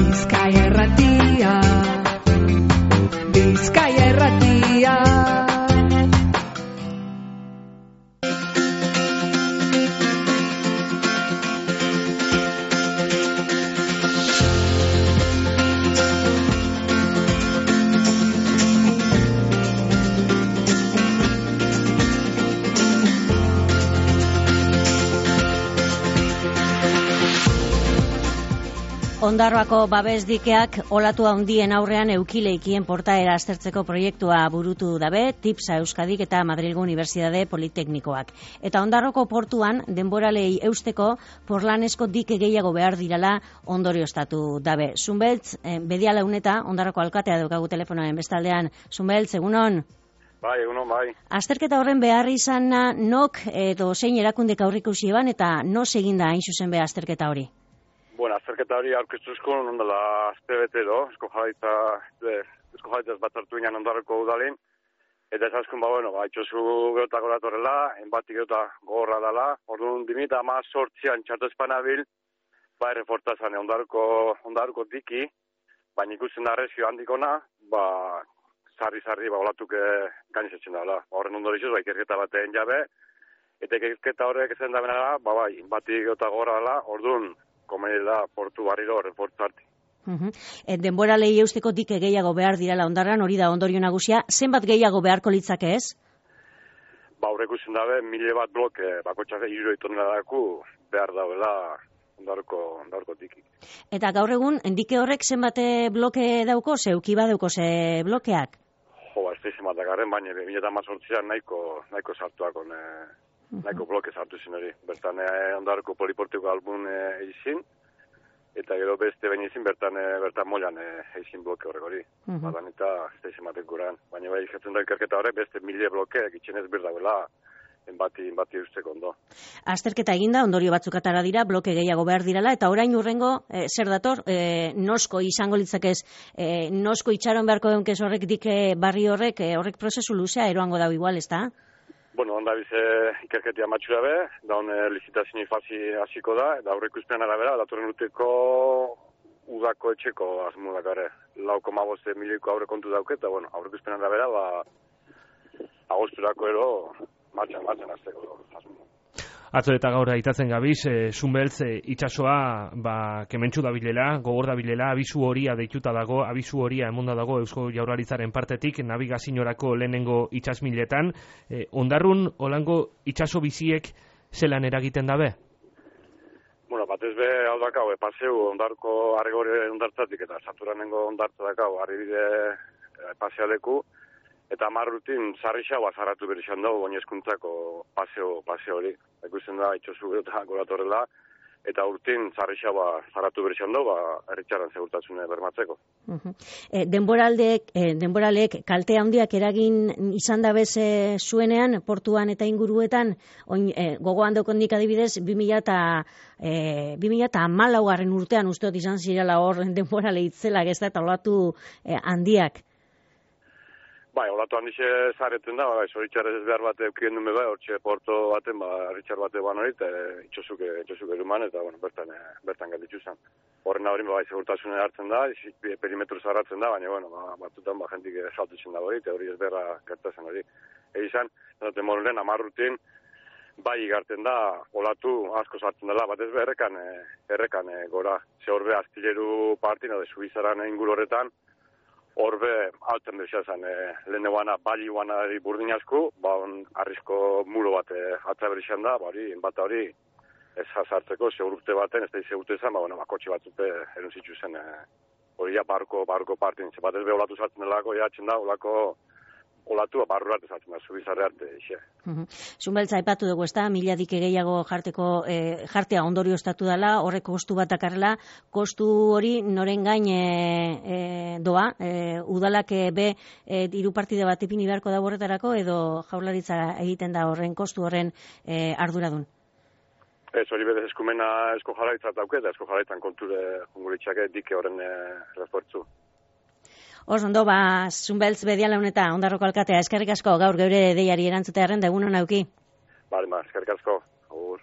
Bizkaia Irratia, Bizkaia Irratia. Ondarroako babes dikeak olatu handien aurrean eukileikien portaera aztertzeko proiektua burutu dabe, TIPSA Euskadik eta Madrilgo Unibertsitate Politeknikoak. Eta Ondarroko portuan denboralei eusteko porlanesko dike gehiago behar dirala ondorioztatu dabe. Zunbeltz, Bediala Uneta, Ondarroko alkatea daukagu telefonoen bestaldean. Zunbeltz, egunon? Bai, egunon, bai. Azterketa horren behar izana nok edo zein erakundek aurrikusi eban eta no seginda hain zuzen be azterketa hori? Bueno, azterketa hori aurkeztuzko ondala aztebetero, esko jaitzaz bat hartu ginen Ondarroko udalin, eta esaskun, itxosu geotak horatorela, enbatik geota gogorra dela, orduan 2018an txartu espanabil, errefortazan Ondarroko diki, baina ikusten da arrezio handikona, sarri, olatuk gainizatzen dela. Horren ondorizuz, ikerketa batean jabe, eta ikerketa horrek ezen da benara, enbatik geota gogorra dela, orduan, komenila portu barriro refortzarti. Denboralei eusteko dike gehiago behar dirala Ondarran, hori da ondorio nagusia. Zenbat gehiago beharko litzake ez? Horrek usten dabe, 1000 bat bloke, bakotxak 3 toneladaku behar dauela Ondarroko diki. Eta gaur egun, dike horrek zenbat bloke dauko, zeuki badauko ze blokeak? Ez da izan bat dagarren, baina 2018an nahiko sartuak nahiko bloke sartu zen hori. Bertan Ondarroko poliportiko albun eizin, eta gero beste baina izin bertan molan eizin bloke horrek hori. Badan eta ez da izan batek guran. Baina bai jatzen da ikerketa horrek beste 1000 bloke egiten ez birdauela enbati usteko ondo. Azterketa eginda, ondorio batzuk atara dira, bloke gehiago behar dirala, eta orain urrengo, zer dator, nosko izango litzakez, nosko itxaron beharko dunkez horrek dike barri horrek prozesu luzea eroango dau igual, ez da? Onda bize ikerketia matxura be, daun licitazio fazi hasiko da, eta aurreikuspean arabera, datorren urteko udako etxeko asmo dakare. 4,5 milioiko aurrekontu dauke, eta aurreikuspean arabera, agosturako ero martxan azteko asmo. Atzo eta gaur aitatzen gabiz, Zunbeltz itxasoa kementsu dabilela, gogor dabilela, abisu horia deituta dago, abisu horia emonda dago Eusko Jaurlaritzaren partetik, nabigazioarako lehenengo itsasmiletan. Ondarrun, holango itxaso biziek zelan eragiten dabe? Batez be, hau dakau, paseu Ondarko arregore ondartzatik eta saturanengo ondartza dakau, arribide pasealeku, eta 10 rutin sarrixaua zarratu berixan dugu oinezkuntzako paseo hori. Ikusten da, itxosu eta goratorrela, eta urtin sarrixaua zarratu berixan dugu, erritxaran segurtatzune bermatzeko. Denboralek kalte handiak eragin izan da bez zuenean, portuan eta inguruetan, gogoan daukondik adibidez, 2014 urtean usteot izan zirela hor denborale itzelak ez da, eta olatu handiak. Olatu handixe zareten da, zoritxarrez ez behar bat eukien dume hortxe porto baten, erritxar bate hori, eta itxosuk eruman, eta bertan galditzu zen. Horren hori, segurtasune hartzen da, perimetro zarratzen da, baina, batzutan, jentik saltutzen da hori, eta hori ez beharra gertatzen hori. Egizan, zaten morunen, 10 rutin, igarten da, olatu asko sartzen dela, bat ez errekan gora. Ze horbe, Astileru partin, Suizaran inguru horretan, horbe alten bezazan leheneguana, bali guanari burdin asku, arrisko muro bat atzaberixan da, bata hori ez jazartzeko, segurte baten, ez da izegurte izan, bakotxe batzute erunzitzu zen hori barko partin. Bat ez be olatu sartzen delako, jatzen da, olatu barru arte sartzen da, Zubizarre arte, ixe. Zunbeltz aipatu dugu, ez da, 1000 dike gehiago jartea ondorioztatu dela, horrek kostu bat dakarrela, kostu hori noren gain doa, udalak hiru partide bat ipini beharko da horretarako, edo Jaurlaritza egiten da horren kostu horren arduradun? Ez hori berez eskumena Eusko Jaurlaritzak dauke, eta Eusko Jaurlaritzan konture junguritxake dike horren refuertzu. Ondo, Zunbeltz Bediala Uneta, Ondarroko alkatea, eskerrik asko gaur geure deiari erantzutearen da egun hona auki. Eskerrik asko.